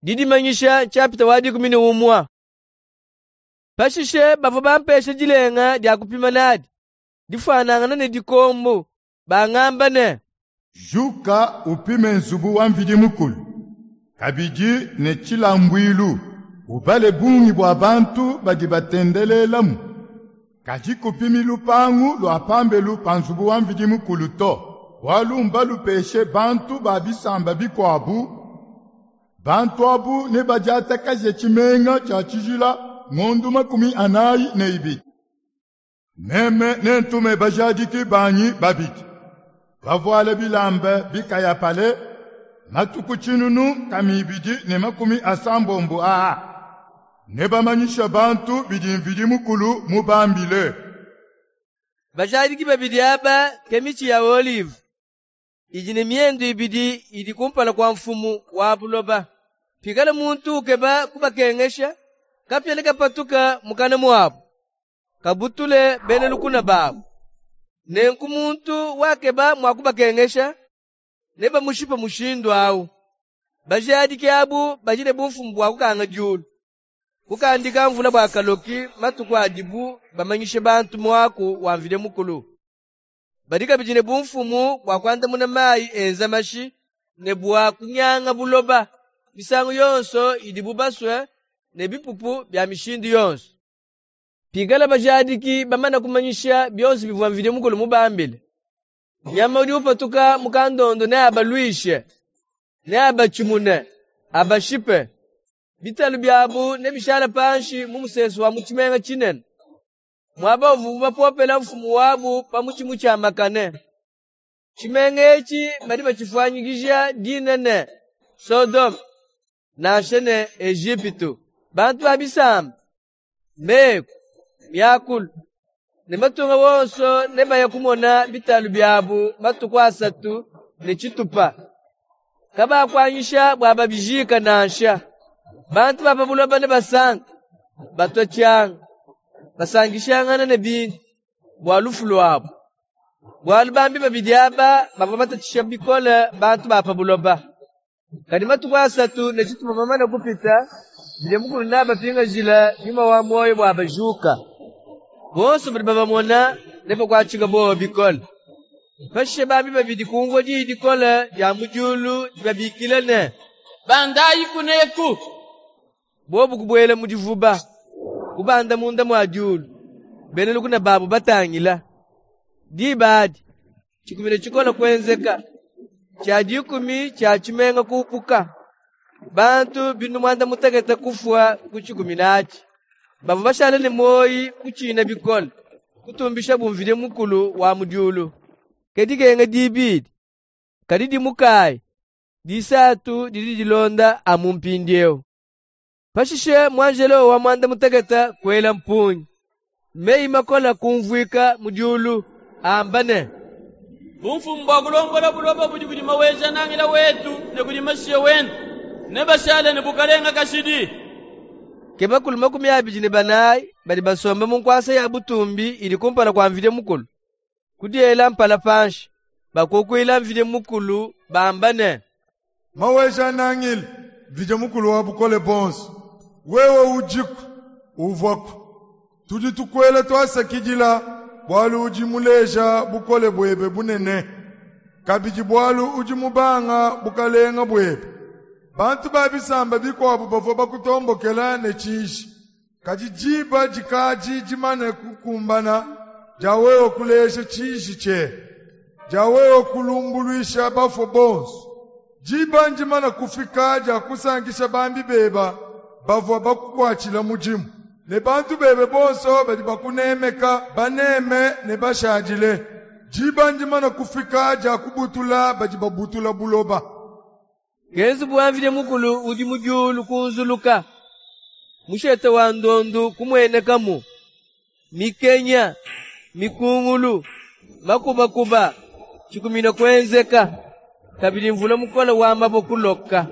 Didimanyisha nshapita wa 11. Pashishe bavua bampesha dilenga dia kupima nadi, difuanangane ne dikombu, bangamba ne: Juka upime nzubu wa Mvidi Mukulu, kabidi ne tshilambuilu, ubale bungi bua bantu badi batendelelamu. Kadi kupimi lupangu lua pambelu pa nzubu wa Mvidi Mukulu to, bualu mbalupeshe bantu ba bisamba bikuabu. Bantu abu nebadiatakaje tshimenga tshia tshijila ngondu 42. Meme nentume bajadiki banyi babidi, bavuale bilamba bikayapale, matuku 1260 aa. Nebamanyishe bantu bidi Mvidi Mukulu mubambile. Bajadiki babidi aba ke mitshi ya olive idi ne miendu ibidi idi kumpala kua mfumu wa buloba. Pikala muntu ukeba kubakengesha, kapia nekapatuke mukana muabu, kabutule bena lukuna babu. Nenku muntu wakeba mua kubakengesha, nebamushipe mushindu awu. Bajadiki abu badi ne bumfumu bua kukanga diulu, kukandika mvula bua kaloki matuku adibu bamanyishe bantu muaku wa Mvidi Mukulu. Badi kabidi ne bumfumu bua kuandamuna mayi enza mashi ne bua kunyanga buloba misangu yonso idibu basue ne bipupu bia mishindu yonso. Pikala bajadiki bamane kumanyisha bionso bivua Mvidi Mukulu mubambile, nyama udi upatuka mu kandondo neabaluishe, neabatshimune, abashipe. Bitalu biabu nebishale panshi mu musesu wa mu tshimenga tshinene, muaba uvuabu bapopela mfumu wabu pa mutshi mutshiamakane. Tshimenga etshi badi batshifuanyikija dina ne Sodome, nansha ne Ejipitu. Bantu ba bisamba, meku, miakulu ne matunga wonso nebaye kumona bitalu biabu matuku 3 ne tshitupa. Kabakuanyisha bua babijika nansha. Bantu ba pa buloba nebasanke, batua tshianga, basankishangana ne bintu bua lufu luabu. Bualu bambi babidi aba bavua batatshisha bikole bantu ba pa buloba. Kadi matuku 3 ne tshitupa mamane kupita, Mvidi Mukulu neabapingajile nyuma wa muoyo bua bajuka. Bonso badi babamona nebakuatshike buowa bikole. Pashishe bambi babidi kumvua diyi dikole dia mu diulu dibabikila ne: Bandayi kuneku! Bobu kubuela mu divuba, kubanda munda mua diulu, bena lukuna babu batangila. Diba adi, tshikumina tshikole kuenzeka, tshia dikumi tshia tshimenga kupuka. Bantu 60 kufua ku tshikumina atshi. Bavua bashale ne muoyi kutshina bikole, kutumbishabu Mvidi Mukulu wa mu diulu. Ke dikenga dibidi, kadi dimukayi, disatu didi dilonda amu mpindiewu. Pashishe muanjelo wa 16 kuela mpungi. Meyi makole kumvuika mu diulu, amba ne: Bumfumu bua kulombola buloba budi kudi Maweja-Nangila wetu ne kudi Mashiya wende, nebashale ne bukalenga kashidi. Ke bakulu 24 badi basombe mu nkuasa ya butumbi idi kumpala kua Mvidi Mukulu, kudiela mpala panshi, bakukuila Mvidi Mukulu bamba ne: Maweja-Nangila, Mvidi Mukulu wa bukole buonso, wewe udiku, uvuaku. Tudi tukuela tuasakidila, bualu udi muleja bukole buebe bunene, kabidi bualu udi mubanga bukalenga buebe. Bantu ba bisamba bikuabu bavua bakutombokela ne tshiji, kadi diba dikadi dimane kukumbana dia wewe kuleja tshiji tshiebe, dia wewe kulumbuluisha bafue bonso. Diba ndimane kufika dia kusankisha bambi beba bavua bakukuatshila mudimu, ne bantu bebe bonso badi bakunemeka baneme ne bashadile. Diba ndimane kufika dia kubutula badi babutula buloba. Ke nzubu wa Mvidi Mukulu udi mu diulu kunzuluka, mushete wa ndondu kumuenekamu, mikenya, mikungulu, makubakuba, tshikumina kuenzeka, kabidi mvula mukole wa mabue kuloka.